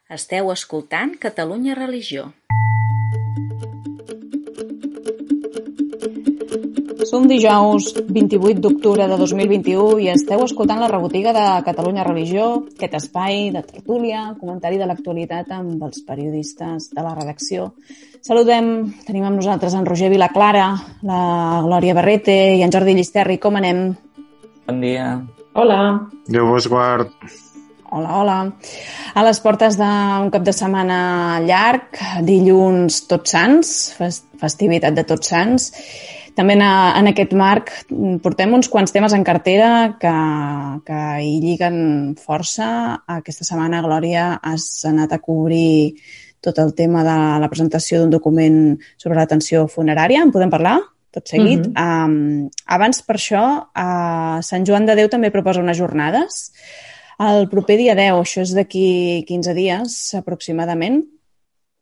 Esteu escoltant Catalunya Religió. Som dijous 28 d'octubre de 2021 i esteu escoltant la rebotiga de Catalunya Religió, aquest espai de tertúlia, comentari de l'actualitat amb els periodistes de la redacció. Tenim amb nosaltres en Roger Vilaclara, la Glòria Barrete i en Jordi Llisterri. Com anem? Bon dia. Hola. Déu vos guard. Hola. A les portes d'un cap de setmana llarg, dilluns Tots Sants, festivitat de Tots Sants. També en aquest marc portem uns quants temes en cartera que hi lliguen força. Aquesta setmana, Glòria, has anat a cobrir tot el tema de la presentació d'un document sobre l'atenció funerària. En podem parlar? Tot seguit. Abans, per això, Sant Joan de Déu també proposa unes jornades. El proper dia 10, això és d'aquí 15 dies aproximadament,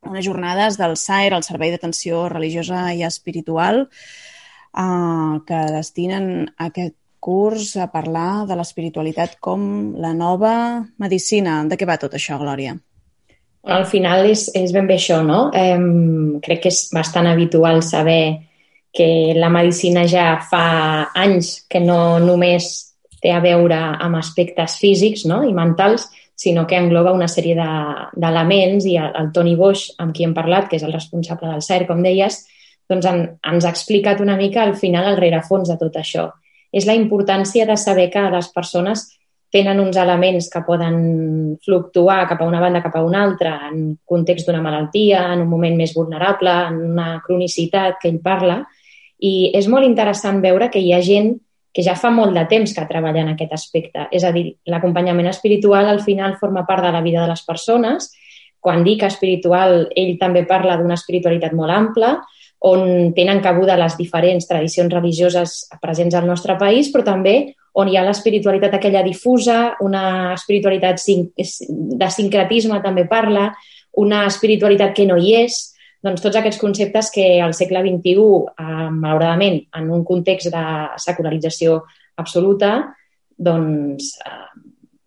unes jornades del SAER, el Servei d'Atenció Religiosa i Espiritual, que destinen aquest curs a parlar de l'espiritualitat com la nova medicina. De què va tot això, Glòria? Al final és ben bé això, no? Crec que és bastant habitual saber que la medicina ja fa anys que no només té a veure amb aspectes físics, no?, i mentals, sinó que engloba una sèrie d'elements, i el Toni Boix, amb qui hem parlat, que és el responsable del SAER, com deies, doncs ens ha explicat una mica al final el rerefons de tot això. És la importància de saber que les persones tenen uns elements que poden fluctuar cap a una banda, cap a una altra, en context d'una malaltia, en un moment més vulnerable, en una cronicitat que ell parla, i és molt interessant veure que hi ha gent que ja fa molt de temps que treballa en aquest aspecte. És a dir, l'acompanyament espiritual al final forma part de la vida de les persones. Quan dic espiritual, ell també parla d'una espiritualitat molt ampla, on tenen cabuda les diferents tradicions religioses presents al nostre país, però també on hi ha l'espiritualitat aquella difusa, una espiritualitat de sincretisme també parla, una espiritualitat que no hi és. Doncs tots aquests conceptes que al segle XXI, malauradament, en un context de secularització absoluta, doncs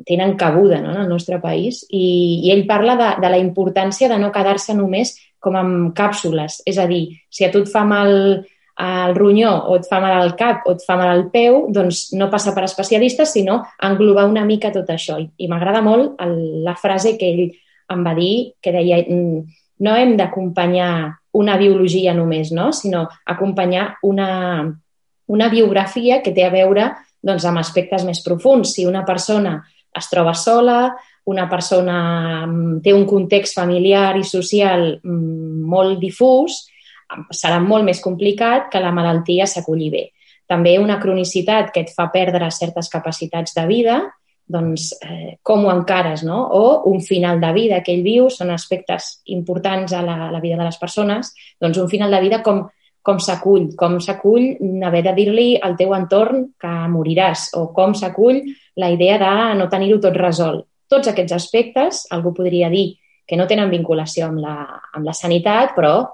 tenen cabuda, no?, en el nostre país. I ell parla de la importància de no quedar-se només com amb càpsules. És a dir, si a tu et fa mal el ronyó o et fa mal el cap o et fa mal el peu, doncs no passa per especialistes, sinó englobar una mica tot això. I m'agrada molt la frase que ell em va dir, que deia: no hem d'acompanyar una biologia només, no?, sinó acompanyar una biografia que té a veure, doncs, amb aspectes més profuns. Si una persona es troba sola, una persona té un context familiar i social molt difús, serà molt més complicat que la malaltia s'acolli bé. També una cronicitat que et fa perdre certes capacitats de vida, doncs com ho encares, no? O un final de vida que ell viu, són aspectes importants a la vida de les persones, doncs un final de vida com s'acull haver de dir-li al teu entorn que moriràs, o com s'acull la idea de no tenir-ho tot resolt. Tots aquests aspectes, algú podria dir que no tenen vinculació amb la sanitat, però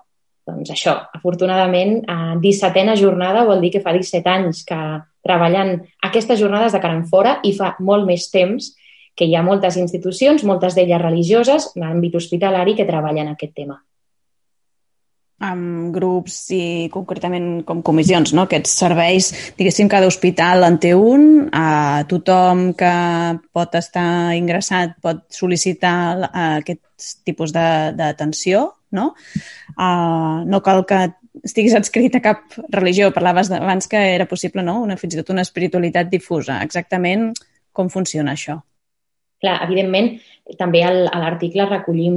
doncs això, afortunadament, 17a jornada vol dir que fa 17 anys que treballant aquestes jornades de cara enfora, i fa molt més temps que hi ha moltes institucions, moltes d'elles religioses, en l'àmbit hospitalari, que treballen aquest tema. Amb grups i concretament com comissions, no? Aquests serveis, diguéssim, cada hospital en té un, tothom que pot estar ingressat pot sol·licitar aquest tipus d'atenció, no? No cal que estiguis adscrit a cap religió. Parlaves abans que era possible, no?, fins i tot una espiritualitat difusa. Exactament com funciona això? Clar, evidentment, també a l'article recollim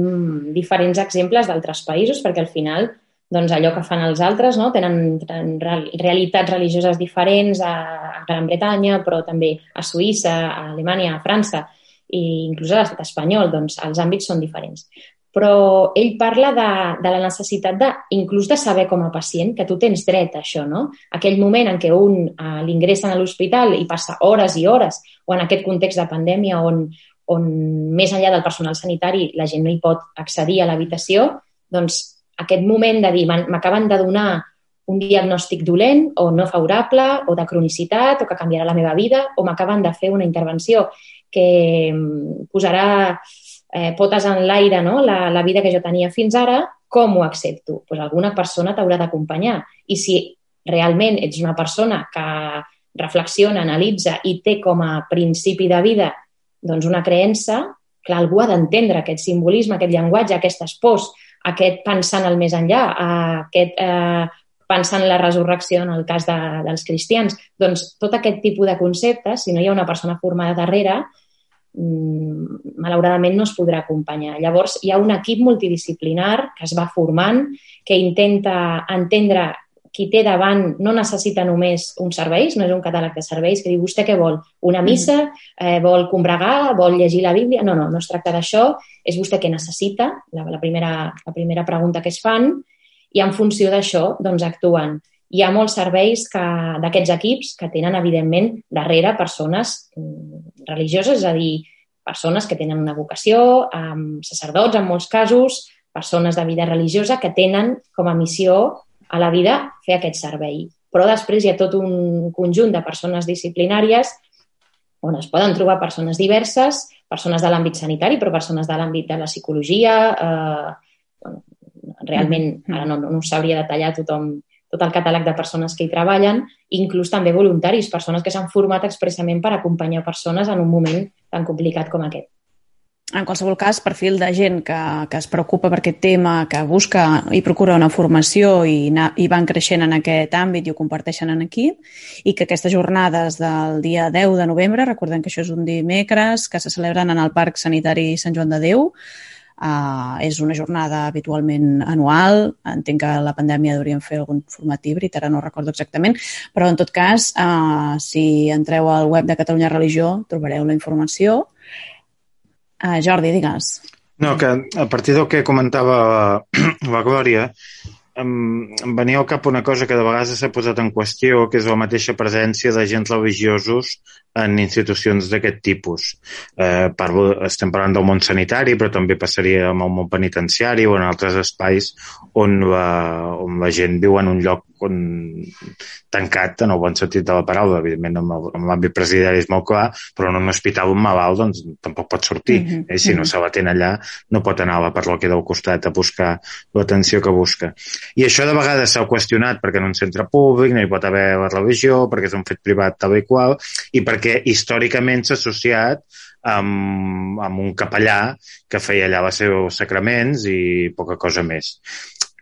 diferents exemples d'altres països, perquè al final, doncs, allò que fan els altres, no?, tenen realitats religioses diferents a Gran Bretanya, però també a Suïssa, a Alemanya, a França, i inclús a l'estat espanyol, doncs els àmbits són diferents. Però ell parla de la necessitat inclús de saber com a pacient que tu tens dret a això, no? Aquell moment en què l'ingressen a l'hospital i passa hores i hores, o en aquest context de pandèmia on més enllà del personal sanitari la gent no hi pot accedir a l'habitació, doncs aquest moment de dir m'acaben de donar un diagnòstic dolent o no favorable o de cronicitat o que canviarà la meva vida, o m'acaben de fer una intervenció que posarà potes en l'aire, no? La vida que jo tenia fins ara, com ho accepto? Doncs alguna persona t'haurà d'acompanyar. I si realment ets una persona que reflexiona, analitza i té com a principi de vida doncs una creença, clar, algú ha d'entendre aquest simbolisme, aquest llenguatge, aquestes pors, aquest pensar en el més enllà, aquest pensar en la resurrecció en el cas dels cristians. Doncs tot aquest tipus de conceptes, si no hi ha una persona formada darrere, malauradament no es podrà acompanyar. Llavors, hi ha un equip multidisciplinar que es va formant, que intenta entendre qui té davant no necessita només uns serveis, no és un catàleg de serveis que diu vostè què vol? Una missa? Vol combregar? Vol llegir la Bíblia? No es tracta d'això. És vostè què necessita? La primera pregunta que es fan i en funció d'això doncs actuen. Hi ha molts serveis d'aquests equips que tenen, evidentment, darrere persones religioses, és a dir, persones que tenen una vocació, sacerdots en molts casos, persones de vida religiosa que tenen com a missió a la vida fer aquest servei. Però després hi ha tot un conjunt de persones disciplinàries on es poden trobar persones diverses, persones de l'àmbit sanitari, però persones de l'àmbit de la psicologia. Realment, ara no us sabria detallar tot el catàleg de persones que hi treballen, inclús també voluntaris, persones que s'han format expressament per acompanyar persones en un moment tan complicat com aquest. En qualsevol cas, perfil de gent que es preocupa per aquest tema, que busca i procura una formació i van creixent en aquest àmbit i ho comparteixen en equip, i que aquestes jornades del dia 10 de novembre, recordem que això és un dimecres, que se celebren en el Parc Sanitari Sant Joan de Déu, és una jornada habitualment anual. Entenc que la pandèmia hauríem fer algun format híbrid, ara no recordo exactament, però en tot cas, si entreu al web de Catalunya Religió trobareu la informació. Jordi, digues. No, que a partir del que comentava la Glòria, em venia al cap una cosa que de vegades s'ha posat en qüestió, que és la mateixa presència d'agents religiosos en institucions d'aquest tipus. Estem parlant del món sanitari, però també passaria amb el món penitenciari o en altres espais on la gent viu en un lloc tancat, en el bon sentit de la paraula. Evidentment, en l'àmbit presidiari és molt clar, però en un hospital un malalt doncs, tampoc pot sortir. Si no se l'atén allà, no pot anar a la parròquia del costat a buscar l'atenció que busca. I això de vegades s'ha qüestionat perquè en un centre públic no hi pot haver la religió, perquè és un fet privat tal i qual, i perquè històricament s'ha associat amb un capellà que feia allà els seus sacraments i poca cosa més.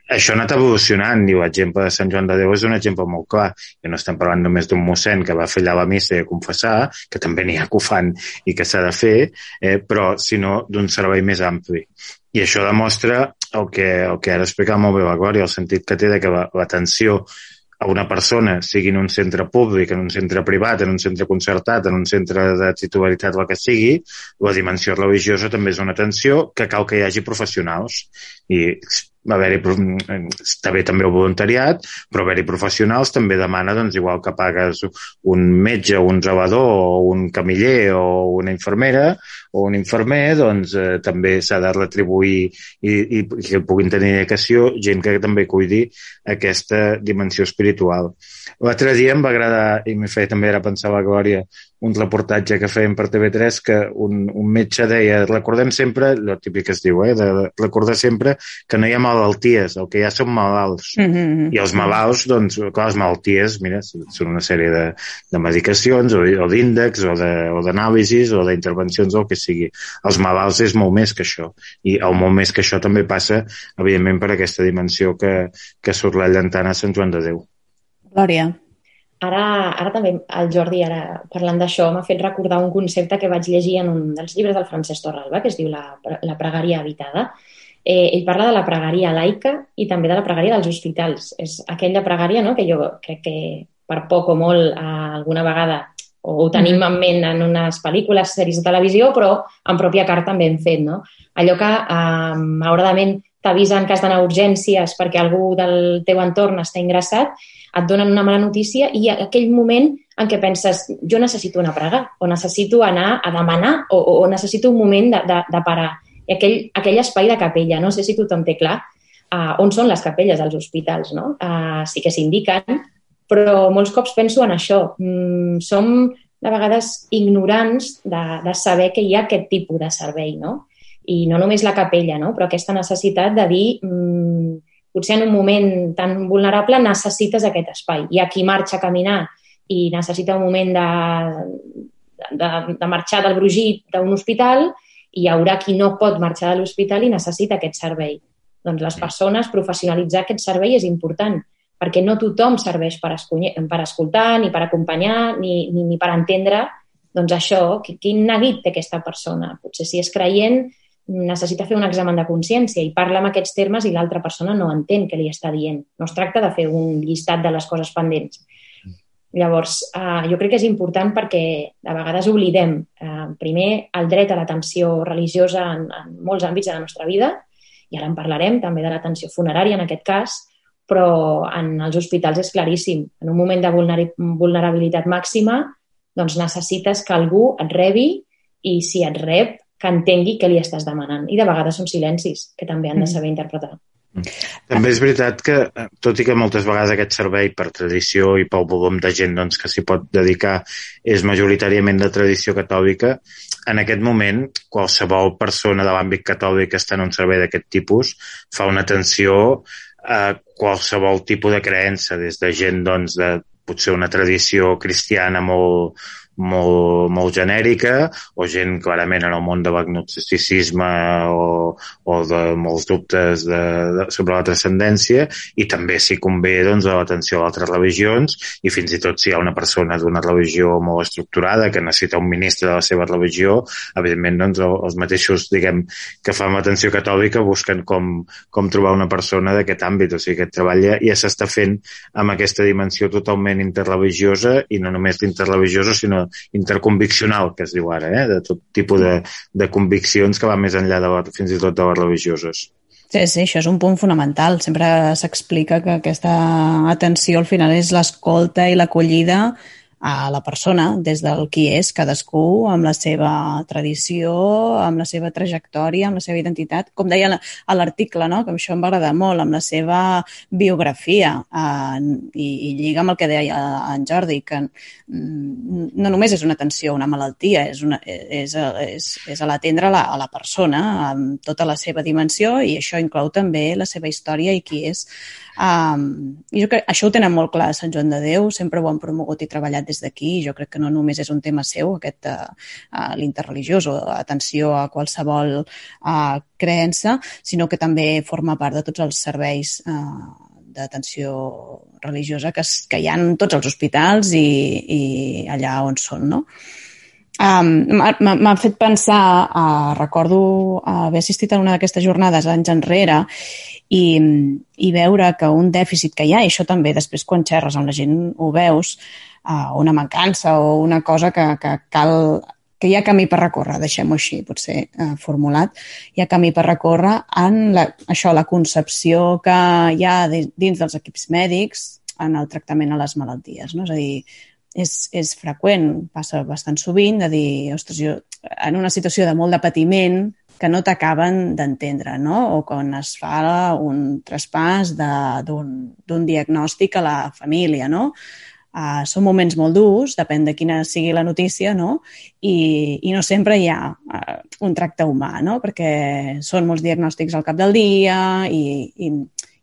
Això ha anat evolucionant i l'exemple de Sant Joan de Déu és un exemple molt clar. I no estem parlant només d'un mossèn que va fer allà la missa i a confessar, que també n'hi ha que ho fan i que s'ha de fer, però sinó d'un servei més ampli. I això demostra el que ara explicava molt bé la Glòria, el sentit que té de que l'atenció a una persona, sigui en un centre públic, en un centre privat, en un centre concertat, en un centre de titularitat, el que sigui, la dimensió religiosa també és una atenció que cal que hi hagi professionals. I està bé també el voluntariat, però haver-hi professionals també demana, doncs, igual que pagues un metge, un zelador, o un camiller, o una infermera, o un infermer, doncs també s'ha de retribuir i que puguin tenir dedicació gent que també cuidi aquesta dimensió espiritual. L'altre dia em va agradar, i m'he fet també era pensar la Glòria, un reportatge que feien per TV3 que un metge deia, recordem sempre, el típic que es diu, de recordar sempre que no hi ha malalties, el que hi ha són malalts. I els malalts, doncs, clar, les malalties, mira, són una sèrie de medicacions o d'índexs o d'anàlisis o d'intervencions o el que sigui. Els malalts és molt més que això. I el molt més que això també passa, evidentment, per aquesta dimensió que surt llantant a Sant Joan de Déu. Glòria. Ara també el Jordi, ara parlant d'això, m'ha fet recordar un concepte que vaig llegir en un dels llibres del Francesc Torralba, que es diu La pregària habitada. Ell parla de la pregària laica i també de la pregària dels hospitals. És aquella pregària, no?, que jo crec que per poc o molt alguna vegada ho tenim en ment en unes pel·lícules, sèries de televisió, però en pròpia carta també hem fet, no? Allò que malauradament t'avisa en cas d'anar a urgències perquè algú del teu entorn està ingressat, et donen una mala notícia i aquell moment en què penses jo necessito anar a pregar o necessito anar a demanar o necessito un moment de parar. I aquell espai de capella, no sé si tothom té clar on són les capelles dels hospitals, no? Sí que s'indiquen, però molts cops penso en això. Som de vegades ignorants de saber que hi ha aquest tipus de servei, no? I no només la capella, no? Però aquesta necessitat de dir potser en un moment tan vulnerable necessites aquest espai. Hi ha qui marxa a caminar i necessita un moment de marxar del brogit d'un hospital i hi haurà qui no pot marxar de l'hospital i necessita aquest servei. Doncs les persones, professionalitzar aquest servei és important, perquè no tothom serveix per escoltar, ni per acompanyar, ni per entendre doncs això, quin neguit té aquesta persona. Potser si és creient necessita fer un examen de consciència i parla en aquests termes i l'altra persona no entén què li està dient. No es tracta de fer un llistat de les coses pendents. Llavors, jo crec que és important perquè a vegades oblidem, primer, el dret a l'atenció religiosa en molts àmbits de la nostra vida, i ara en parlarem, també de l'atenció funerària en aquest cas, però en els hospitals és claríssim. En un moment de vulnerabilitat màxima, doncs necessites que algú et rebi i si et rep, que entengui què li estàs demanant. I de vegades són silencis, que també han de saber interpretar. També és veritat que, tot i que moltes vegades aquest servei per tradició i pel volum de gent doncs, que s'hi pot dedicar és majoritàriament de tradició catòlica, en aquest moment qualsevol persona de l'àmbit catòlic que està en un servei d'aquest tipus fa una atenció a qualsevol tipus de creença, des de gent doncs, de potser una tradició cristiana molt genèrica o gent clarament en el món de l'agnosticisme o de molts dubtes sobre la transcendència i també si convé doncs, a l'atenció a altres religions i fins i tot si hi ha una persona d'una religió molt estructurada que necessita un ministre de la seva religió, evidentment doncs, els mateixos diguem que fan l'atenció catòlica busquen com trobar una persona d'aquest àmbit, o sigui, aquest treball ja s'està fent amb aquesta dimensió totalment interreligiosa i no només interreligiosa sinó interconviccional, que es diu ara, de tot tipus de conviccions que van més enllà fins i tot de les religioses. Sí, això és un punt fonamental. Sempre s'explica que aquesta atenció al final és l'escolta i l'acollida a la persona, des del qui és cadascú, amb la seva tradició, amb la seva trajectòria, amb la seva identitat, com deia a l'article, no? Que això em va agradar molt, amb la seva biografia, i lliga amb el que deia en Jordi, que no només és una atenció a una malaltia, és a l'atendre a la persona amb tota la seva dimensió i això inclou també la seva història i qui és. I jo crec que això ho tenen molt clar a Sant Joan de Déu, sempre ho han promogut i treballat des d'aquí, i jo crec que no només és un tema seu, aquest l'interreligiós o atenció a qualsevol creença, sinó que també forma part de tots els serveis d'atenció religiosa que hi ha en tots els hospitals i allà on són, no? M'ha fet pensar, recordo haver assistit a una d'aquestes jornades anys enrere i veure que un dèficit que hi ha, i això també després quan xerres amb la gent ho veus, una mancança o una cosa que cal, que hi ha camí per recórrer, deixem-ho així, potser formulat, hi ha camí per recórrer en la concepció que hi ha dins dels equips mèdics en el tractament a les malalties, no? És a dir, és freqüent, passa bastant sovint, de dir, ostres, jo en una situació de molt de patiment que no t'acaben d'entendre, no? O quan es fa un traspàs d'un diagnòstic a la família, no? Són moments molt durs, depèn de quina sigui la notícia, no? I no sempre hi ha un tracte humà, no? Perquè són molts diagnòstics al cap del dia i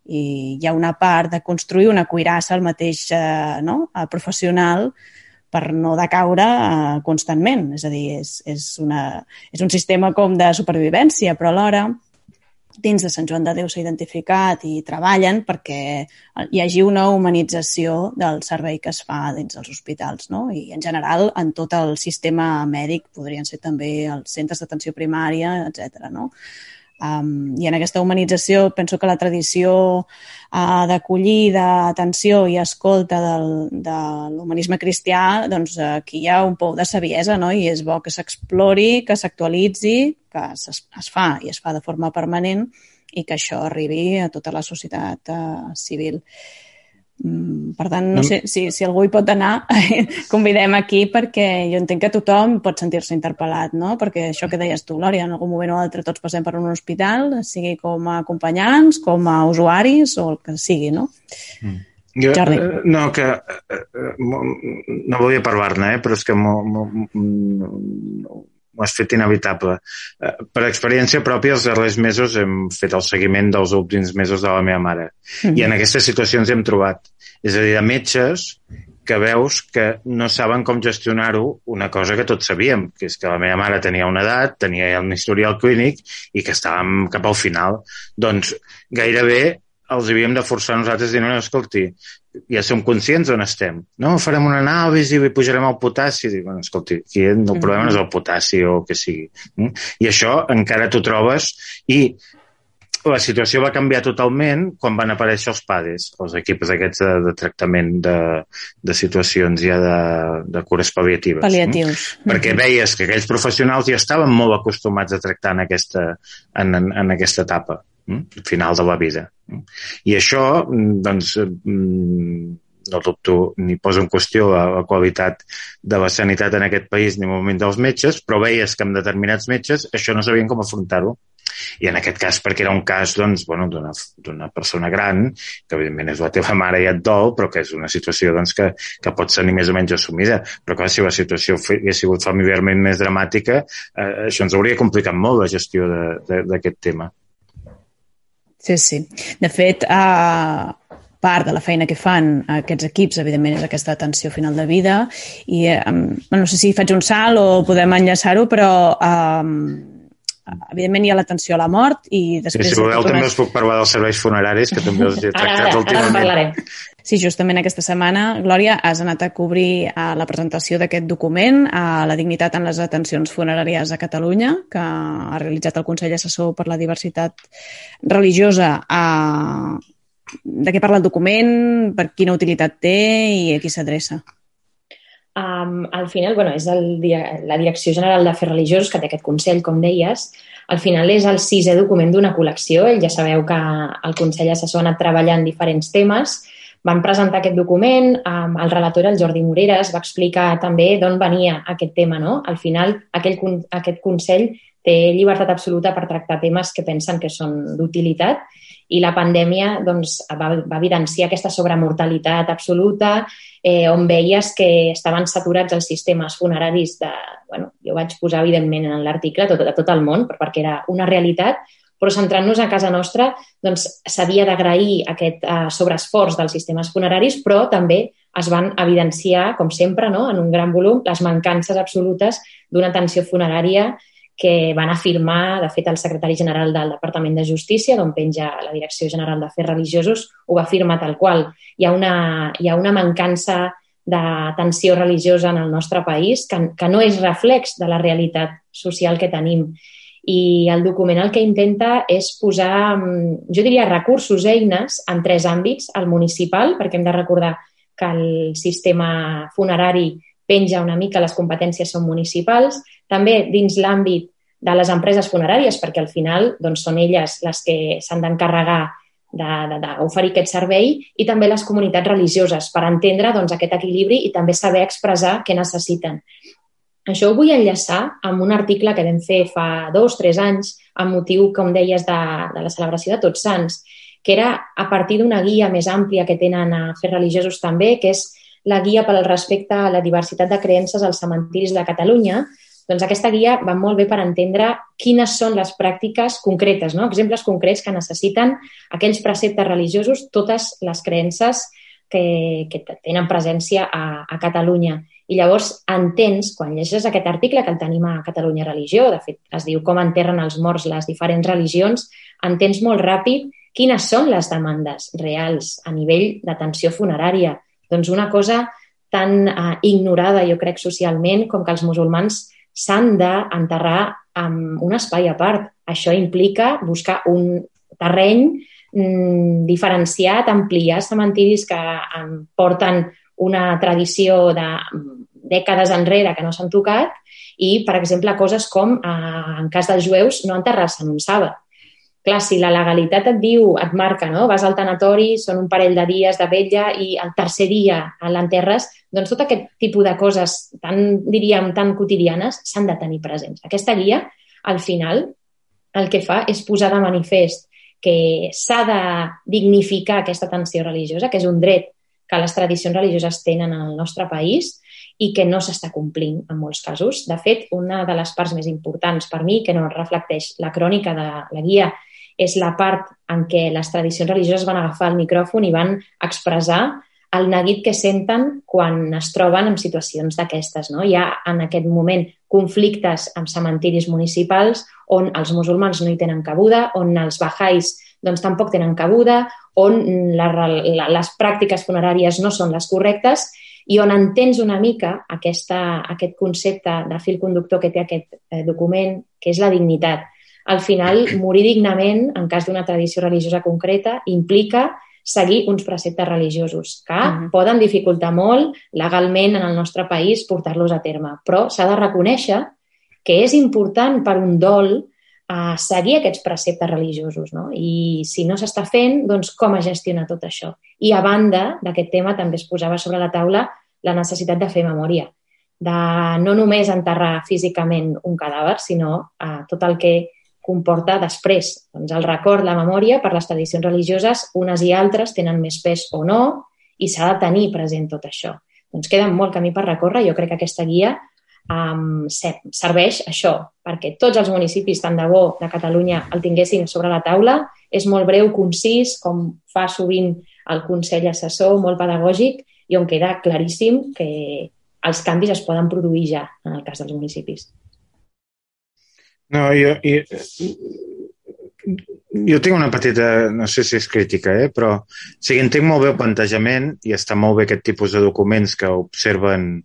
hi ha una part de construir una cuirassa al mateix professional per no decaure constantment. És a dir, és un sistema com de supervivència, però alhora dins de Sant Joan de Déu s'ha identificat i treballen perquè hi hagi una humanització del servei que es fa dins dels hospitals, no? I en general en tot el sistema mèdic, podrien ser també els centres d'atenció primària, etc. No? I en aquesta humanització penso que la tradició d'acollida, atenció i escolta de l'humanisme cristià, doncs aquí hi ha un pou de saviesa, no? I és bo que s'explori, que s'actualitzi, que es fa i es fa de forma permanent i que això arribi a tota la societat civil. Per tant, no sé si algú hi pot anar, convidem aquí perquè jo entenc que tothom pot sentir-se interpel·lat, no? Perquè això que deies tu, Glòria, en algun moment o altre tots passem per un hospital, sigui com a acompanyants, com a usuaris o el que sigui, no? Jordi. No, que no volia parlar-ne, però és que has fet inevitable. Per experiència pròpia, els darrers mesos hem fet el seguiment dels últims mesos de la meva mare. I en aquestes situacions hem trobat. És a dir, de metges que veus que no saben com gestionar-ho, una cosa que tots sabíem, que és que la meva mare tenia una edat, tenia un historial clínic i que estàvem cap al final. Doncs gairebé els havíem de forçar nosaltres dient, no, escolti, ja som conscients on estem. No, farem una anàlisi i pujarem el potassi. Dic, bueno, escolti, aquí el problema no és el potassi o el que sigui. I això encara t'ho trobes i la situació va canviar totalment quan van aparèixer els PADEs, els equips aquests de tractament de situacions ja de cures pal·liatives. Pal·liatius. Perquè veies que aquells professionals ja estaven molt acostumats a tractar en aquesta etapa, final de la vida. I això, doncs, no dubto ni poso en qüestió la qualitat de la sanitat en aquest país ni moment dels metges, però veies que amb determinats metges això no sabien com afrontar-ho. I en aquest cas, perquè era un cas doncs, bueno, d'una persona gran, que evidentment és la teva mare i et dol, però que és una situació doncs, que pot ser ni més o menys assumida. Però clar, si la situació hagués sigut familiarment més dramàtica, això ens hauria complicat molt la gestió d'aquest tema. Sí, sí. De fet, part de la feina que fan aquests equips, evidentment, és aquesta atenció final de vida i no sé si faig un salt o podem enllaçar-ho, però evidentment hi ha l'atenció a la mort i després... Si voleu també us puc parlar dels serveis funeraris, que també els he tractat últimament. Ara Sí, justament aquesta setmana, Glòria, has anat a cobrir la presentació d'aquest document a la dignitat en les atencions funeràries a Catalunya, que ha realitzat el Consell Assessor per la Diversitat Religiosa. De què parla el document, per quina utilitat té i a qui s'adreça? Al final, és la Direcció General d'Afers Religiosos, que té aquest Consell, com deies. Al final és el 6è document d'una col·lecció. Ja sabeu que el Consell Assessor ha anat treballant diferents temes. Van presentar aquest document, el relator, el Jordi Moreres, va explicar també d'on venia aquest tema, no? Al final, aquest Consell té llibertat absoluta per tractar temes que pensen que són d'utilitat i la pandèmia va evidenciar aquesta sobremortalitat absoluta, on veies que estaven saturats els sistemes funeraris jo vaig posar, evidentment, en l'article de tot el món, perquè era una realitat, però centrant-nos a casa nostra, s'havia d'agrair aquest sobreesforç dels sistemes funeraris, però també es van evidenciar, com sempre, no?, en un gran volum, les mancances absolutes d'una atenció funerària que van afirmar, de fet, el secretari general del Departament de Justícia, d'on penja la Direcció General d'Afers Religiosos, ho va afirmar tal qual. Hi ha una mancança d'atenció religiosa en el nostre país que no és reflex de la realitat social que tenim. I el document el que intenta és posar, jo diria, recursos, eines en 3 àmbits. El municipal, perquè hem de recordar que el sistema funerari penja una mica, les competències són municipals. També dins l'àmbit de les empreses funeràries, perquè al final són elles les que s'han d'encarregar d'oferir aquest servei, i també les comunitats religioses, per entendre aquest equilibri i també saber expressar què necessiten. Això ho vull enllaçar amb un article que vam fer fa 2 o 3 anys amb motiu, com deies, de la celebració de Tots Sants, que era a partir d'una guia més àmplia que tenen a Afers Religiosos també, que és la guia pel respecte a la diversitat de creences als cementiris de Catalunya. Doncs aquesta guia va molt bé per entendre quines són les pràctiques concretes, no? Exemples concrets que necessiten aquells preceptes religiosos, totes les creences que tenen presència a Catalunya. I llavors entens, quan llegeixes aquest article, que el tenim a Catalunya Religió, de fet es diu com enterren els morts les diferents religions, entens molt ràpid quines són les demandes reals a nivell d'atenció funerària. Doncs una cosa tan ignorada, jo crec, socialment, com que els musulmans s'han d'enterrar en un espai a part. Això implica buscar un terreny diferenciat, ampliar cementiris que porten una tradició de dècades enrere que no s'han tocat i, per exemple, coses com, en cas dels jueus, no enterrar-se en un sàbat. Clar, si la legalitat et diu, et marca, no? Vas al tanatori, són un parell de dies de vetlla i el tercer dia l'enterres, doncs tot aquest tipus de coses tan quotidianes s'han de tenir presents. Aquesta guia, al final, el que fa és posar de manifest que s'ha de dignificar aquesta atenció religiosa, que és un dret que les tradicions religioses tenen al nostre país, i que no s'està complint en molts casos. De fet, una de les parts més importants per mi, que no reflecteix la crònica de la guia, és la part en què les tradicions religioses van agafar el micròfon i van expressar el neguit que senten quan es troben en situacions d'aquestes. No? Hi ha en aquest moment conflictes amb cementiris municipals on els musulmans no hi tenen cabuda, on els bahais doncs, tampoc tenen cabuda, on les pràctiques funeràries no són les correctes i on entens una mica aquest concepte de fil conductor que té aquest document, que és la dignitat. Al final, morir dignament, en cas d'una tradició religiosa concreta, implica seguir uns preceptes religiosos que poden dificultar molt legalment en el nostre país portar-los a terme. Però s'ha de reconèixer que és important per un dol seguir aquests preceptes religiosos. No? I si no s'està fent, doncs com es gestiona tot això? I a banda d'aquest tema també es posava sobre la taula la necessitat de fer memòria, de no només enterrar físicament un cadàver, sinó tot el que comporta després. Doncs el record, la memòria, per les tradicions religioses, unes i altres tenen més pes o no, i s'ha de tenir present tot això. Doncs queda molt camí per recórrer. Jo crec que aquesta guia serveix això, perquè tots els municipis, tant de bo de Catalunya, el tinguessin sobre la taula. És molt breu, concís, com fa sovint el Consell Assessor, molt pedagògic, i on queda claríssim que els canvis es poden produir ja en el cas dels municipis. No, jo tinc una petita, no sé si és crítica, però sí que entenc molt bé el plantejament i està molt bé aquest tipus de documents que observen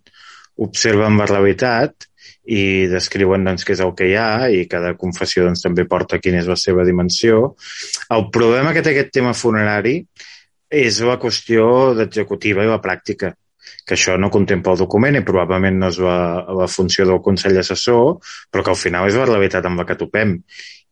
la realitat i descriuen doncs, què és el que hi ha i cada confessió doncs, també porta quina és la seva dimensió. El problema que té aquest tema funerari és la qüestió d'executiva i la pràctica, que això no contempla el document i probablement no és la funció del Consell Assessor, però que al final és la realitat amb la que topem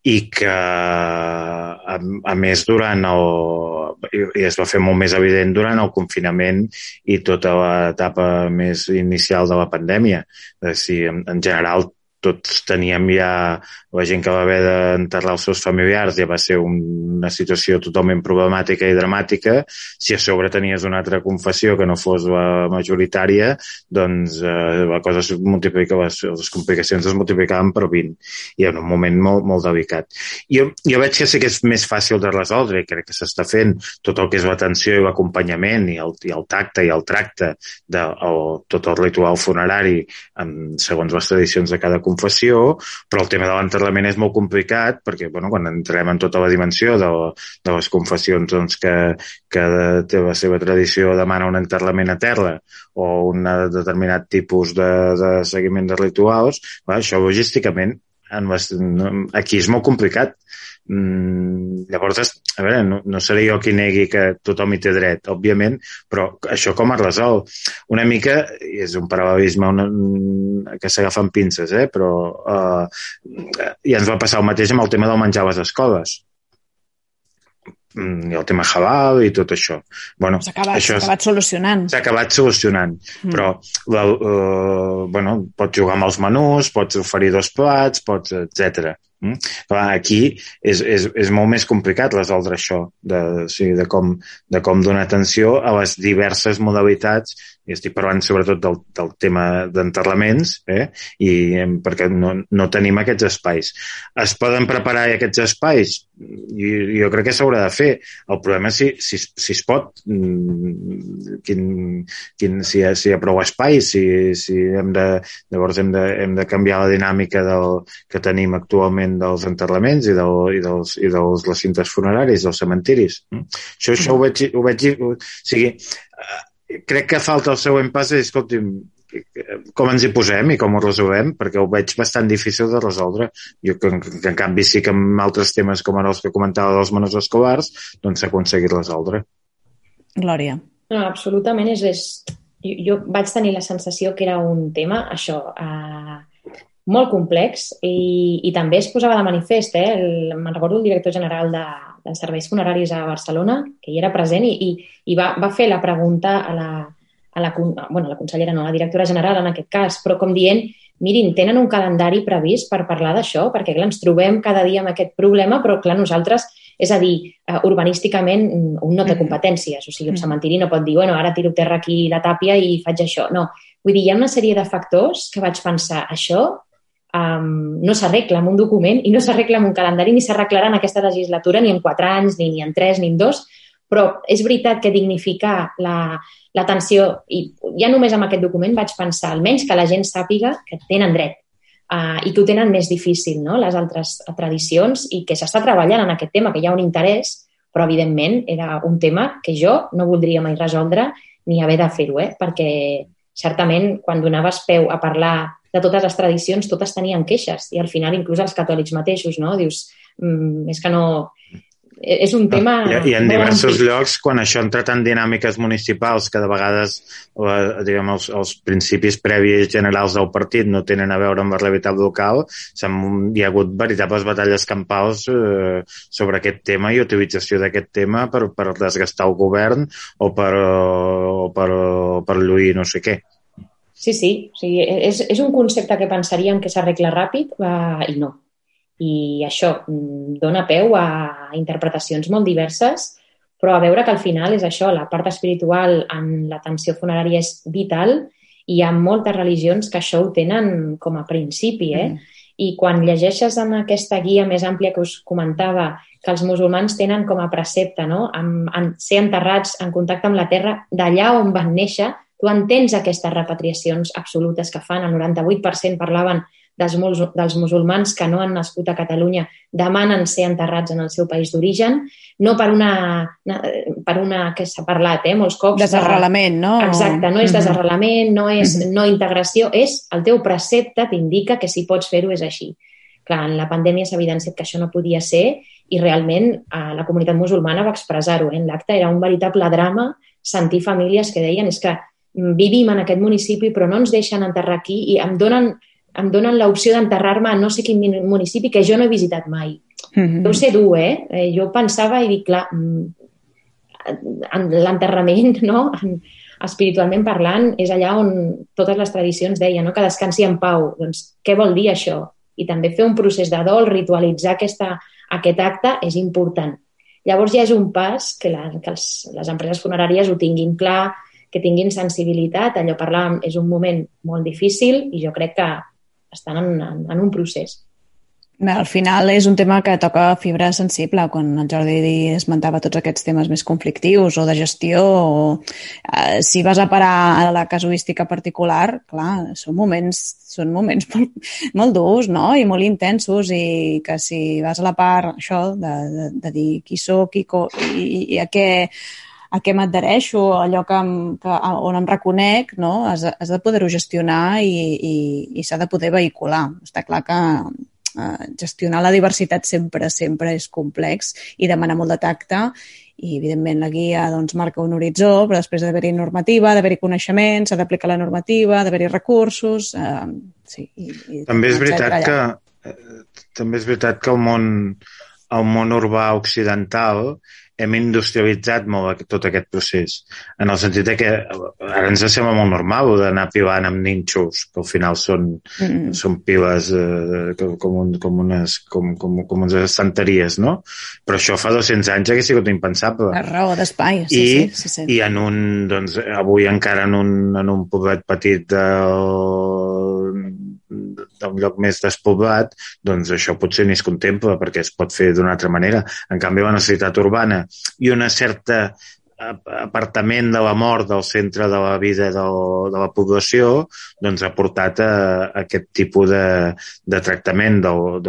i que a més i es va fer molt més evident durant el confinament i tota l'etapa més inicial de la pandèmia. En general tots teníem ja, la gent que va haver d'enterrar els seus familiars ja va ser una situació totalment problemàtica i dramàtica. Si a sobre tenies una altra confessió que no fos la majoritària, doncs la cosa es multiplica, les complicacions es multiplicaven per 20 i en un moment molt, molt delicat. Jo veig que sí que és més fàcil de resoldre i crec que s'està fent tot el que és l'atenció i l'acompanyament i el tacte i el tracte de tot el ritual funerari segons les tradicions de cada confessió, però el tema de l'enterrament és molt complicat perquè quan entrem en tota la dimensió de les confessions doncs, que té la seva tradició demana un enterrament a terra o un determinat tipus de seguiment de rituals, això logísticament aquí és molt complicat. Llavors, a veure, no seré jo qui negui que tothom hi té dret, òbviament, però això com es resol? Una mica, és un paral·lelisme que s'agafa amb pinces, però ja ens va passar el mateix amb el tema del menjar a les escoles. I el tema halal i tot això. S'ha acabat solucionant. S'ha acabat solucionant, però pots jugar amb els menús, pots oferir 2 plats, etc. Aquí és molt més complicat resoldre això de com donar atenció a les diverses modalitats, i estic parlant sobretot del tema d'enterraments, perquè no tenim aquests espais. Es poden preparar aquests espais? Jo crec que s'haurà de fer. El problema és si es pot, si hi ha prou espais, si llavors hem de canviar la dinàmica que tenim actualment dels enterraments i dels recintes funeraris, dels cementiris. Això ho veig... O sigui, crec que falta el següent pas és, escolti'm, com ens hi posem i com ho resolem, perquè ho veig bastant difícil de resoldre. Jo, que en canvi sí que amb altres temes com ara els que comentava dels menús escolars, doncs s'ha aconseguit resoldre. Glòria. No, absolutament. Jo vaig tenir la sensació que era un tema, això, molt complex i també es posava de manifest. Me'n recordo el director general de Serveis Funeraris a Barcelona, que hi era present i va fer la pregunta a la consellera, no, a la directora general en aquest cas, però com dient, mirin, tenen un calendari previst per parlar d'això, perquè clar, ens trobem cada dia amb aquest problema, però clar, nosaltres És a dir, urbanísticament un no té competències, o sigui, un cementiri no pot dir, bueno, ara tiro terra aquí la tàpia i faig això. No, vull dir, hi ha una sèrie de factors que vaig pensar, això no s'arregla en un document i no s'arregla en un calendari ni s'arreglarà en aquesta legislatura ni en 4 anys, ni en 3, ni en 2, però és veritat que dignificar l'atenció, i ja només amb aquest document vaig pensar, almenys que la gent sàpiga que tenen dret i que ho tenen més difícil, no?, les altres tradicions, i que s'està treballant en aquest tema, que hi ha un interès, però evidentment era un tema que jo no voldria mai resoldre ni haver de fer-ho, perquè certament quan donaves peu a parlar de totes les tradicions, totes tenien queixes, i al final inclús els catòlics mateixos, no? Dius, és que no... És un tema... I en diversos llocs, quan això ha entrat en dinàmiques municipals, que de vegades diguem, els principis previs generals del partit no tenen a veure amb la realitat local, hi ha hagut veritables batalles campals sobre aquest tema i utilització d'aquest tema per desgastar el govern o per lluir no sé què. Sí, o sigui, és un concepte que pensaríem que s'arregla ràpid i no. I això dona peu a interpretacions molt diverses, però a veure que al final és això, la part espiritual en l'atenció funerària és vital i hi ha moltes religions que això ho tenen com a principi, I quan llegeixes en aquesta guia més àmplia que us comentava que els musulmans tenen com a precepte, no?, en ser enterrats en contacte amb la terra d'allà on van néixer, tu entens aquestes repatriacions absolutes que fan, el 98% parlaven dels musulmans que no han nascut a Catalunya demanen ser enterrats en el seu país d'origen, no per una que s'ha parlat, molts cops... Desarrelament, no? Exacte, no és desarrelament, no és no integració, és el teu precepte t'indica que si pots fer-ho és així. Clar, en la pandèmia s'ha evidenciat que això no podia ser i realment la comunitat musulmana va expressar-ho. En l'acte era un veritable drama sentir famílies que deien és que vivim en aquest municipi però no ens deixen enterrar aquí i em donen l'opció d'enterrar-me a no sé quin municipi que jo no he visitat mai. Deu ser dur, Jo pensava i dic, clar, l'enterrament, no?, espiritualment parlant, és allà on totes les tradicions deien, no?, que descansi en pau. Doncs què vol dir això? I també fer un procés de dol, ritualitzar aquest acte és important. Llavors ja és un pas que les empreses funeràries ho tinguin clar, que tinguin sensibilitat. Allò parlàvem, és un moment molt difícil i jo crec que estan en un procés. Al final és un tema que toca fibra sensible, quan el Jordi esmentava tots aquests temes més conflictius o de gestió, si vas a parar a la casuística particular, clar, són moments molt durs, no?, i molt intensos, i que si vas a la part, això, de dir qui soc i a què m'adhereixo, allò on em reconec, no?, has de poder-ho gestionar i s'ha de poder vehicular. Està clar que gestionar la diversitat sempre és complex i demana molt de tacte i, evidentment, la guia marca un horitzó, però després d'haver-hi normativa, d'haver-hi coneixements, s'ha d'aplicar la normativa, d'haver-hi recursos... També és veritat que el món urbà occidental hem industrialitzat molt tot aquest procés, en el sentit que ara ens sembla molt normal d'anar pilant amb nínxols, que al final són piles com unes estanteries, no? Però això fa 200 anys hauria sigut impensable. La raó d'espai, sí. I avui encara en un poblet petit d'un lloc més despoblat, doncs això potser ni es contempla perquè es pot fer d'una altra manera. En canvi, la necessitat urbana i una certa apartament de la mort del centre de la vida de la població, doncs ha portat a aquest tipus de tractament del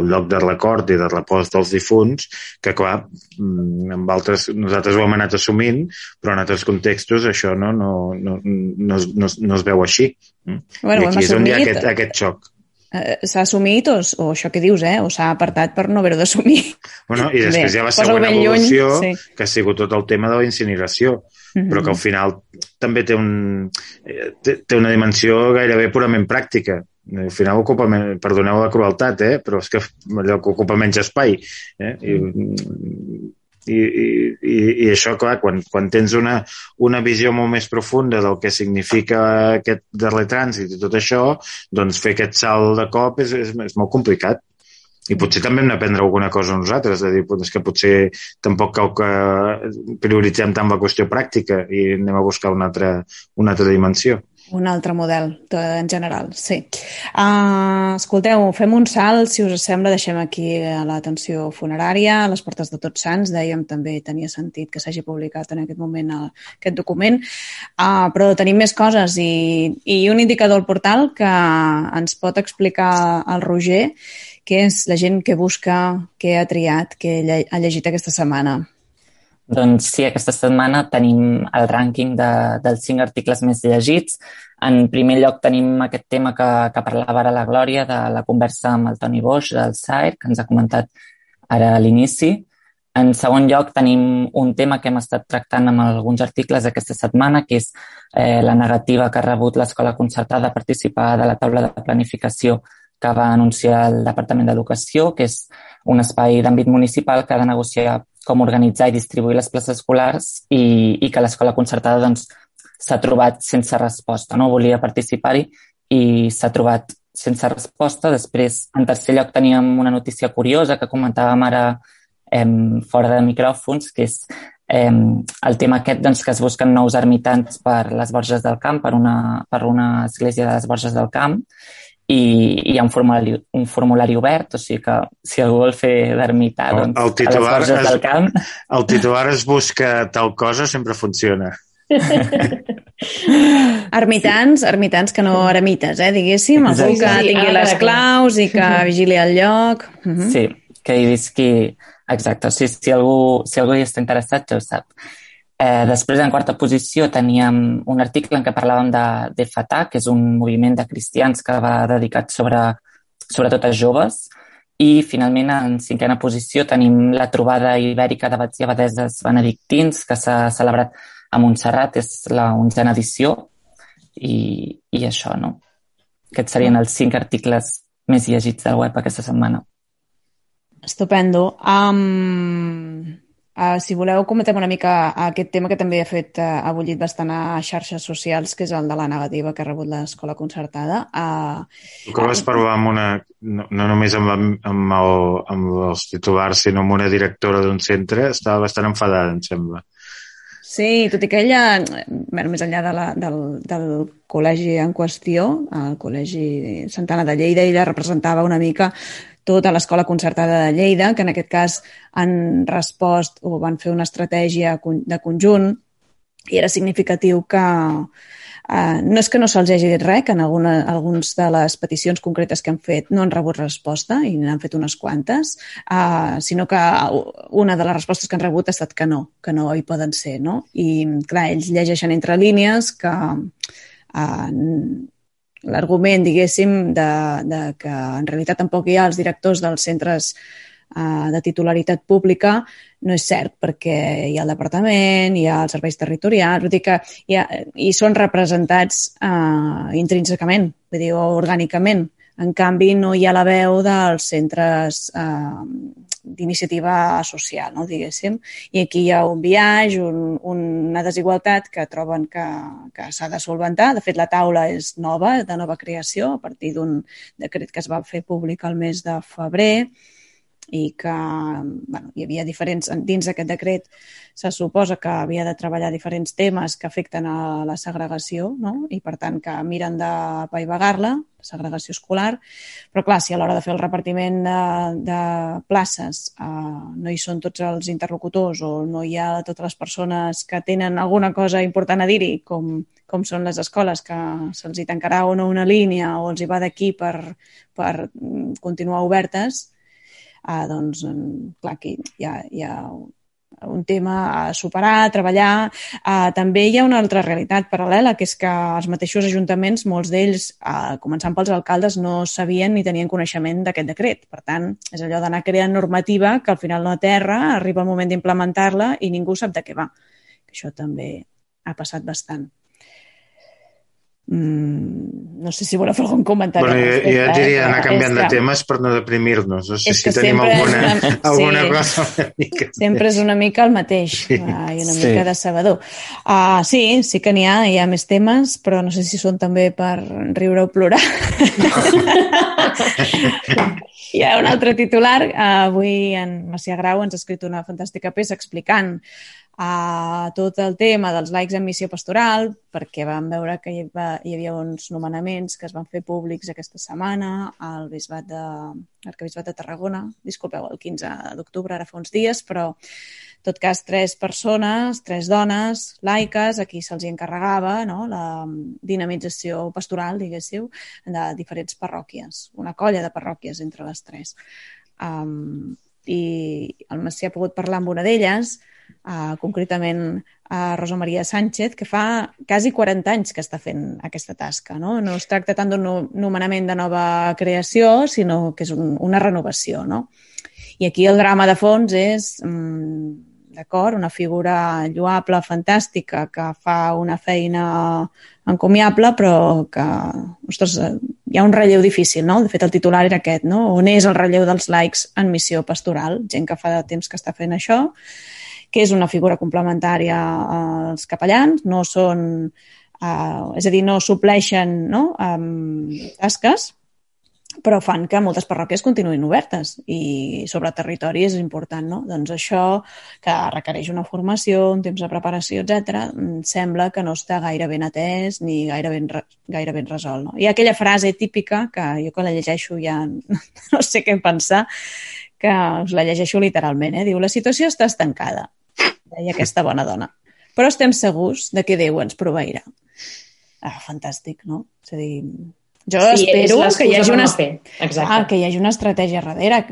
lloc de record i de repòs dels difunts, que clar, nosaltres ho hem anat assumint, però en altres contextos això no es veu així. Bueno, I aquí és on hi ha aquest xoc. S'ha assumit o això que dius, o s'ha apartat per no haver-ho d'assumir. Bueno, i després hi ha la següent evolució, que ha sigut tot el tema de la incineració, però que al final també té una dimensió gairebé purament pràctica. Al final ocupa, perdoneu la crueltat, però és que allò que ocupa menys espai. I això, clar, quan tens una visió molt més profunda del que significa aquest darrer trànsit i tot això, doncs fer aquest salt de cop és molt complicat. I potser també hem d'aprendre alguna cosa nosaltres, de dir, és que potser tampoc cal que prioritzem tant la qüestió pràctica i anem a buscar una altra dimensió. Un altre model, en general, sí. Escolteu, fem un salt, si us sembla, deixem aquí l'atenció funerària, a les portes de Tots Sants, dèiem també tenia sentit que s'hagi publicat en aquest moment aquest document, però tenim més coses i un indicador al portal que ens pot explicar el Roger, que és la gent que busca, que ha triat, que ha llegit aquesta setmana. Doncs sí, aquesta setmana tenim el rànquing dels 5 articles més llegits. En primer lloc tenim aquest tema que parlava ara la Glòria, de la conversa amb el Toni Boix, del SAER, que ens ha comentat ara a l'inici. En segon lloc tenim un tema que hem estat tractant amb alguns articles aquesta setmana, que és la negativa que ha rebut l'escola concertada a participar de la taula de planificació que va anunciar el Departament d'Educació, que és un espai d'àmbit municipal que ha de negociar com organitzar i distribuir les places escolars i que l'escola concertada doncs, s'ha trobat sense resposta. No volia participar-hi i s'ha trobat sense resposta. Després, en tercer lloc, teníem una notícia curiosa que comentàvem ara fora de micròfons, que és el tema aquest doncs, que es busquen nous ermitans per les Borges del Camp, per una església de les Borges del Camp, i hi ha un formulari obert, o sigui que si algú vol fer d'ermità doncs, a les Borges del Camp... El titular es busca tal cosa, sempre funciona. Ermitans que no eremites, diguéssim, algú que tingui les claus i que vigili el lloc. Sí, que hi visqui... Exacte, o sigui, si algú hi està interessat ja ho sap. Després, en quarta posició, teníem un article en què parlàvem de Fatah, que és un moviment de cristians que va dedicat sobretot a joves. I, finalment, en cinquena posició, tenim la trobada ibèrica d'abats i abadeses benedictins, que s'ha celebrat a Montserrat, és la 11a edició. I això, no? Aquests serien els 5 articles més llegits del web aquesta setmana. Estupendo. Si voleu, comentem una mica aquest tema que també ha bullit bastant a xarxes socials, que és el de la negativa que ha rebut l'escola concertada. Tu que vas parlar no només amb els titulars, sinó amb una directora d'un centre, estava bastant enfadada, em sembla. Sí, tot i que ella, més enllà del col·legi en qüestió, el Col·legi Santana de Lleida, ella representava una mica tota l'escola concertada de Lleida, que en aquest cas han respost o van fer una estratègia de conjunt i era significatiu que no és que no se'ls hagi dit res, que en algunes de les peticions concretes que han fet no han rebut resposta i n'han fet unes quantes, sinó que una de les respostes que han rebut ha estat que no hi poden ser, no? I clar, ells llegeixen entre línies que l'argument, diguéssim, de que en realitat tampoc hi ha els directors dels centres de titularitat pública no és cert, perquè hi ha el departament, hi ha els serveis territorials, vull dir que hi són representats intrínsecament, vull dir, o orgànicament. En canvi, no hi ha la veu dels centres d'iniciativa social, no, diguéssim. I aquí hi ha un biaix, una desigualtat que troben que s'ha de solventar. De fet, la taula és nova, de nova creació, a partir d'un decret que es va fer públic el mes de febrer, i que hi havia diferents, dins d'aquest decret se suposa que havia de treballar diferents temes que afecten a la segregació, no? I per tant que miren d'apaivagar-la, la segregació escolar, però clar, si a l'hora de fer el repartiment de places no hi són tots els interlocutors o no hi ha totes les persones que tenen alguna cosa important a dir-hi, com són les escoles, que se'ls hi tancarà o no una línia o els hi va d'aquí per continuar obertes, doncs, clar, aquí hi ha un tema a superar, a treballar. També hi ha una altra realitat paral·lela, que és que els mateixos ajuntaments, molts d'ells, començant pels alcaldes, no sabien ni tenien coneixement d'aquest decret. Per tant, és allò d'anar creant normativa que al final no aterra, arriba el moment d'implementar-la i ningú sap de què va. Això també ha passat bastant. No sé si voleu fer algun comentari. Bueno, jo diria anar canviant de temes per no deprimir-nos. No sé si tenim alguna cosa una mica. Sempre és una mica el mateix i una mica decebedor. Sí que n'hi ha més temes, però no sé si són també per riure o plorar. Hi ha un altre titular. Avui en Macià Grau ens ha escrit una fantàstica peça explicant tot el tema dels laics en missió pastoral, perquè vam veure que hi havia uns nomenaments que es van fer públics aquesta setmana al Arquebisbat de Tarragona, disculpeu, el 15 d'octubre, ara fa uns dies, però en tot cas 3 persones, 3 dones laiques, a qui se'ls encarregava, no?, la dinamització pastoral, diguéssiu, de diferents parròquies, una colla de parròquies entre les 3. I el Macià ha pogut parlar amb una d'elles, concretament a Rosa Maria Sánchez, que fa quasi 40 anys que està fent aquesta tasca. No es tracta tant d'un nomenament de nova creació, sinó que és una renovació. No? I aquí el drama de fons és, d'acord, una figura lloable, fantàstica, que fa una feina encomiable, però que, ostres, hi ha un relleu difícil, no? De fet, el titular era aquest, no? On és el relleu dels laics en missió pastoral? Gent que fa de temps que està fent això, que és una figura complementària als capellans, no són, és a dir, no supleixen, no, tasques, però fan que moltes parròquies continuïn obertes i sobre territori és important, no? Doncs això, que requereix una formació, un temps de preparació, etc., sembla que no està gaire ben atès ni gaire ben resolt. No? Hi ha aquella frase típica que jo quan la llegeixo ja no sé què pensar, que us la llegeixo literalment, Diu, la situació està estancada, deia aquesta bona dona, però estem segurs de que Déu ens proveirà. Fantàstic, no? És a dir, jo espero que hi hagi una estratègia darrere,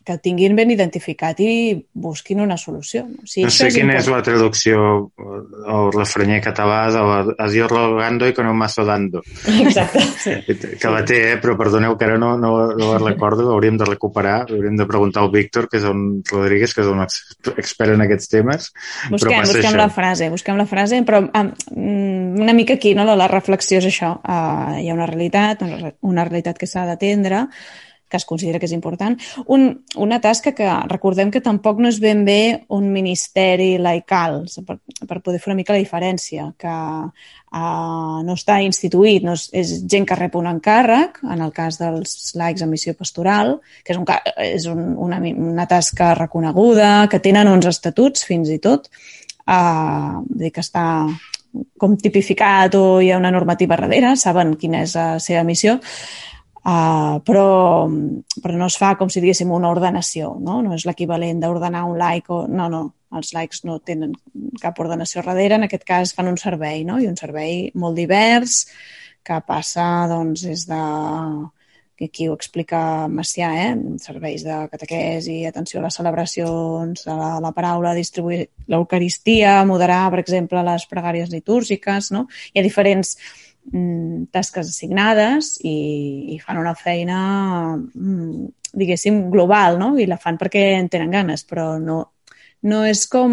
que tinguin ben identificat i busquin una solució. No sé quina és la traducció o el refrenyer català de a Dios rogando y con un mazo dando. Exacte. Que la té, però perdoneu que ara no la recordo, l'hauríem de recuperar, hauríem de preguntar al Víctor, que és un Rodríguez, que és un expert en aquests temes. Busquem la frase, però una mica aquí, no? La reflexió és això. Hi ha una realitat que s'ha d'atendre, que es considera que és important. Una tasca que recordem que tampoc no és ben bé un ministeri laical, per poder fer una mica la diferència, que no està instituït, no és gent que rep un encàrrec, en el cas dels laics en missió pastoral, que és una tasca reconeguda, que tenen uns estatuts fins i tot, que està com tipificat o hi ha una normativa darrere, saben quina és la seva missió, però no es fa com si diguéssim una ordenació, no és l'equivalent d'ordenar un laic. No, els laics no tenen cap ordenació darrere, en aquest cas fan un servei, no? I un servei molt divers que passa doncs des de, que aquí ho explica Macià, serveis de catequesi, atenció a les celebracions, a la paraula, distribuir l'Eucaristia, moderar, per exemple, les pregàries litúrgiques, no? Hi ha diferents tasques assignades i fan una feina, diguéssim, global, no? I la fan perquè en tenen ganes, però no és com...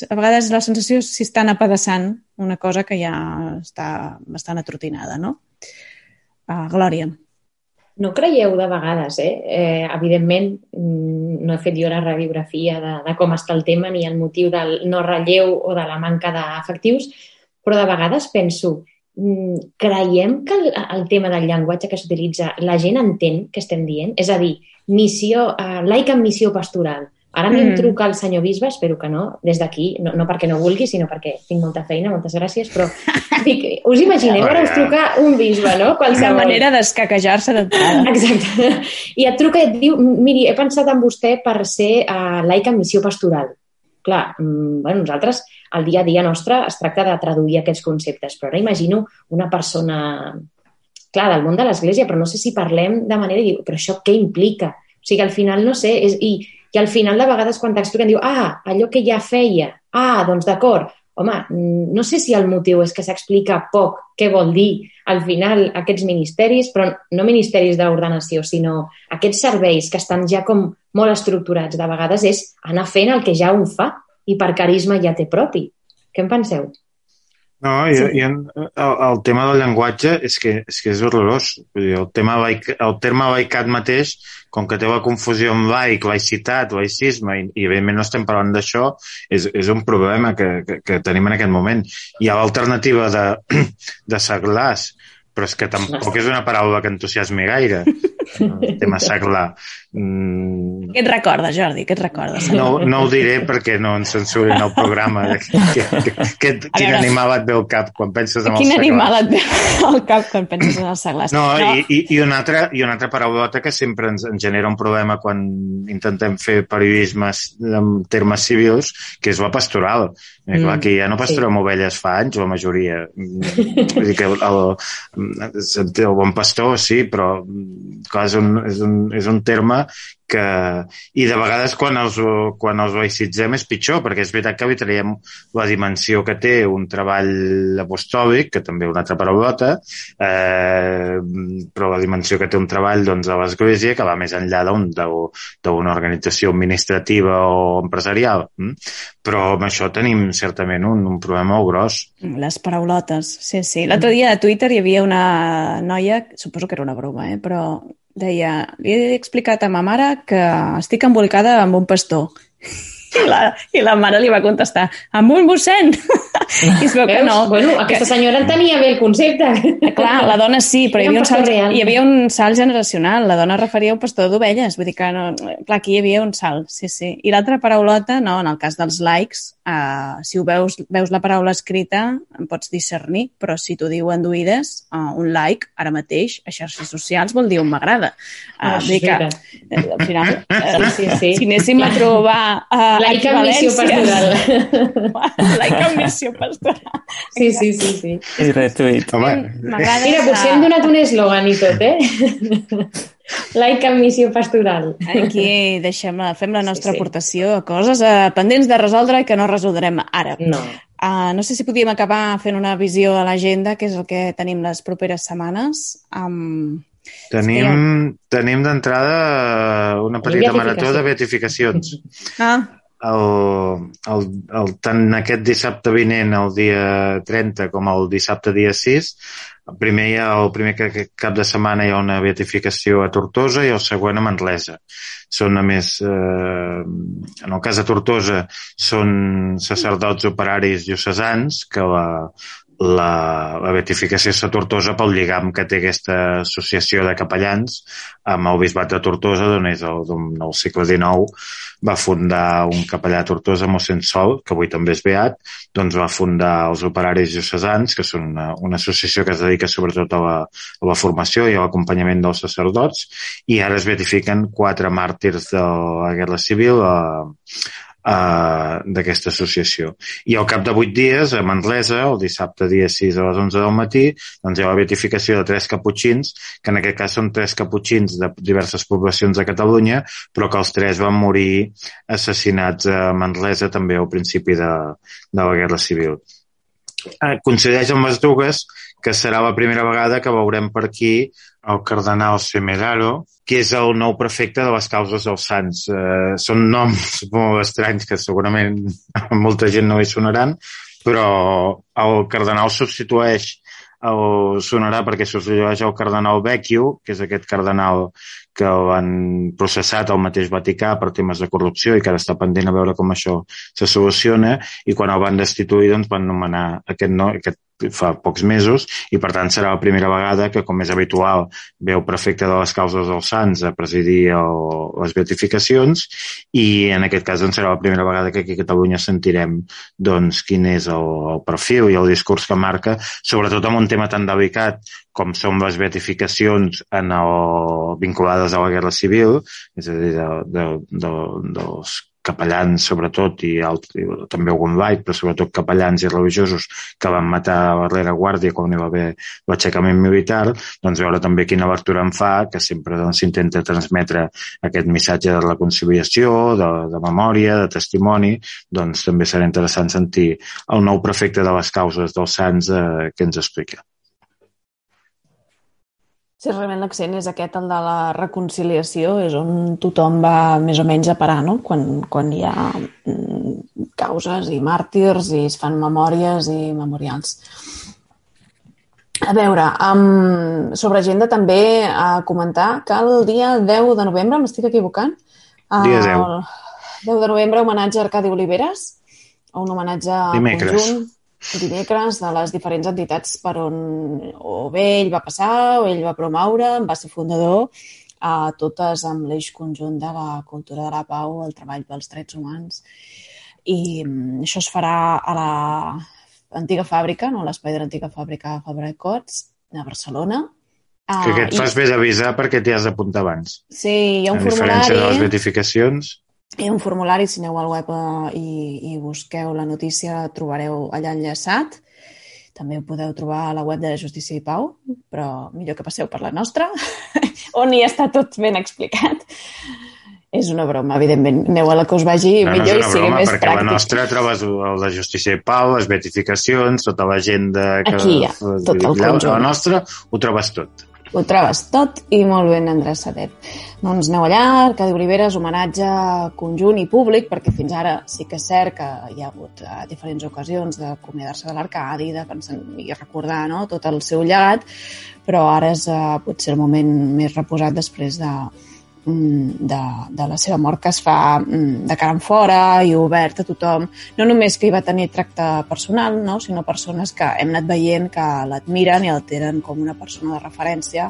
A vegades la sensació és si estan apedaçant una cosa que ja està bastant atrotinada, no? Glòria. No creieu de vegades, evidentment, no he fet jo la radiografia de com està el tema ni el motiu del no relleu o de la manca d'efectius, però de vegades penso, creiem que el tema del llenguatge que s'utilitza la gent entén què estem dient? És a dir, laic en missió pastoral. Ara em truca el senyor bisbe, espero que no, des d'aquí, no perquè no vulgui, sinó perquè tinc molta feina, moltes gràcies, però dic, us imagineu, ara us truca un bisbe, no? Una manera d'escaquejar-se d'entrada. Exacte. I et truca i et diu, miri, he pensat en vostè per ser laic en missió pastoral. Clar, nosaltres, el dia a dia nostre, es tracta de traduir aquests conceptes, però ara imagino una persona, clar, del món de l'Església, però no sé si parlem de manera i diu, però això què implica? O sigui, al final, no sé, i al final de vegades quan t'expliquen diu, allò que ja feia, doncs d'acord. Home, no sé si el motiu és que s'explica poc què vol dir al final aquests ministeris, però no ministeris d'ordenació, sinó aquests serveis que estan ja com molt estructurats. De vegades és anar fent el que ja un fa i per carisma ja té propi. Què en penseu? No, el tema del llenguatge és que és horrorós. Vull dir, el terme laicat mateix, com que té la confusió amb laic, laïcitat, laïcisme, i evidentment no estem parlant d'això, és un problema que tenim en aquest moment. Hi ha l'alternativa de seglars, però és que tampoc és una paraula que entusiasmi gaire. el tema seglar. Què et recorda, Jordi? Què et recorda? No ho diré perquè no ens censurin el programa. Quin animal et ve al cap quan penses en els seglars? Quin animal et ve al cap quan penses en els seglars? No. I una altra paraulota que sempre ens genera un problema quan intentem fer periodisme en termes civils, que és la pastoral. Clar, que ja no pastorem ovelles fa anys, la majoria. Vull dir que el bon pastor, sí, però clar, és un terme que... I de vegades quan els laïcitzem és pitjor, perquè és veritat que li traiem la dimensió que té un treball apostòlic, que també és una altra paraulota, però la dimensió que té un treball doncs, a l'Església que va més enllà d'una organització administrativa o empresarial. Però amb això tenim certament un problema molt gros. Les paraulotes, sí. L'altre dia a Twitter hi havia una noia, suposo que era una broma, però deia, li he explicat a ma mare que estic embolicada amb un pastor. I la mare li va contestar, amb un mossèn. I es veu que no. Bueno, aquesta senyora tenia bé el concepte. Clar, la dona sí, però hi havia un salt generacional. La dona referia a un pastor d'ovelles. Vull dir que, no, clar, aquí hi havia un salt, sí. I l'altra paraulota, no, en el cas dels likes, si ho veus la paraula escrita, en pots discernir, però si t'ho diuen d'oïdes, un like, ara mateix, a xarxes socials vol dir un m'agrada. Vull dir que, al final, si anéssim a trobar like amb missió pastoral. Like amb missió pastoral. Sí. I retuit. Mira, potser hem donat un eslògan i tot, Like amb missió pastoral. Aquí fem la nostra aportació a coses pendents de resoldre i que no resoldrem ara. No. No sé si podíem acabar fent una visió a l'agenda, que és el que tenim les properes setmanes. Tenim d'entrada una petita marató de beatificacions. Tant aquest dissabte vinent, el dia 30, com el dissabte dia 6, el primer cap de setmana hi ha una beatificació a Tortosa i el següent a Manresa. Són, a més, en el cas de Tortosa, són sacerdots operaris diocesans que la beatificació és a Tortosa pel lligam que té aquesta associació de capellans amb el bisbat de Tortosa, d'on és del segle XIX. Va fundar un capellà a Tortosa, mossèn Sol, que avui també és beat, doncs va fundar els operaris diocesans, que són una associació que es dedica sobretot a la formació i a l'acompanyament dels sacerdots, i ara es beatifiquen 4 màrtirs de la Guerra Civil d'aquesta associació. I al cap de 8 dies, a Manresa, el dissabte dia 6 a les 11 del matí, doncs hi ha la beatificació de 3 caputxins, que en aquest cas són 3 caputxins de diverses poblacions de Catalunya, però que els 3 van morir assassinats a Manresa també al principi de la Guerra Civil. Coincideix amb les dues que serà la primera vegada que veurem per aquí el cardenal Semeraro, que és el nou prefecte de les causes dels sants. Són noms molt estranys que segurament a molta gent no hi sonaran, però el cardenal sonarà perquè substitueix el cardenal Vecchio, que és aquest cardenal que l'han processat al mateix Vaticà per temes de corrupció i que ara està pendent a veure com això se soluciona, i quan el van destituir doncs van nomenar aquest fa pocs mesos, i per tant serà la primera vegada que, com és habitual, ve el prefecte de les causes dels sants a presidir les beatificacions, i en aquest cas doncs serà la primera vegada que aquí a Catalunya sentirem doncs quin és el perfil i el discurs que marca, sobretot amb un tema tan delicat com són les beatificacions vinculades a la Guerra Civil, és a dir, dels capellans sobretot, i també algun laic, però sobretot capellans i religiosos que van matar a la rereguàrdia quan hi va haver l'aixecament militar, doncs veure també quina lectura en fa, que sempre s'intenta transmetre aquest missatge de reconciliació, de memòria, de testimoni, doncs també serà interessant sentir el nou prefecte de les causes dels sants que ens explica. Sí, realment l'accent és aquest, el de la reconciliació, és on tothom va més o menys a parar, no? Quan hi ha causes i màrtirs i es fan memòries i memorials. A veure, sobre agenda també a comentar que el dia 10 de novembre, m'estic equivocant? Dia 10. 10 de novembre, homenatge a Arcadi Oliveres, un homenatge conjunt dimecres de les diferents entitats per on o bé ell va passar o ell va promoure, va ser fundador, totes amb l'eix conjunt de la cultura de la pau, el treball pels drets humans. I això es farà a l'antiga fàbrica, no? A l'espai de l'antiga fàbrica Fabra i Coats, a Barcelona. Que et fas bé d'avisar perquè t'hi has d'apuntar abans. Sí, hi ha un formulari. A diferència de les beatificacions. Hi ha un formulari, si aneu al web i busqueu la notícia, trobareu allà enllaçat. També ho podeu trobar a la web de Justícia i Pau, però millor que passeu per la nostra, on hi està tot ben explicat. És una broma, evidentment. Aneu a la que us vagi millor i sigui més pràctic. Perquè la nostra trobes el de Justícia i Pau, les beatificacions, tota l'agenda... Aquí hi ha tot el conjunt. La nostra ho trobes tot. Ho trobes tot i molt ben endreçadet. Doncs aneu allà, Arcadi Oliveres, homenatge conjunt i públic, perquè fins ara sí que és cert que hi ha hagut diferents ocasions d'acomiadar-se de l'Arcadi, de pensar i recordar, no?, tot el seu llegat, però ara és potser el moment més reposat després de la seva mort, que es fa de cara en fora i obert a tothom, no només que hi va tenir tracte personal, no?, sinó persones que hem anat veient que l'admiren i el tenen com una persona de referència,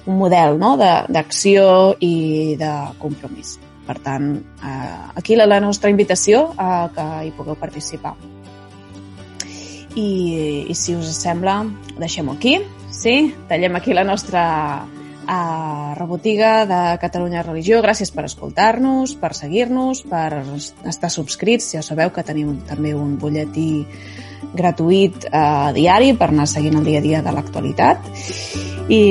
un model, no?, d'acció i de compromís. Per tant, aquí la nostra invitació a que hi pugueu participar. I si us sembla, deixem-ho aquí, sí? Tallem aquí la nostra rebotiga de Catalunya Religió. Gràcies per escoltar-nos, per seguir-nos, per estar subscrits. Ja sabeu que tenim també un butlletí gratuït diari per anar seguint el dia a dia de l'actualitat. I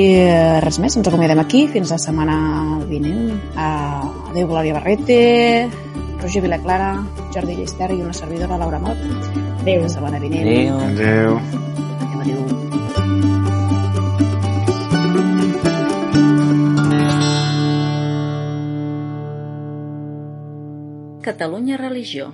res més, ens acomiadem aquí fins la setmana vinent. Adéu, Glòria Barrete, Roger Vilaclara, Jordi Llisterri i una servidora, Laura Mot. Adéu, la setmana vinent. Adéu. Adéu. Catalunya Religió.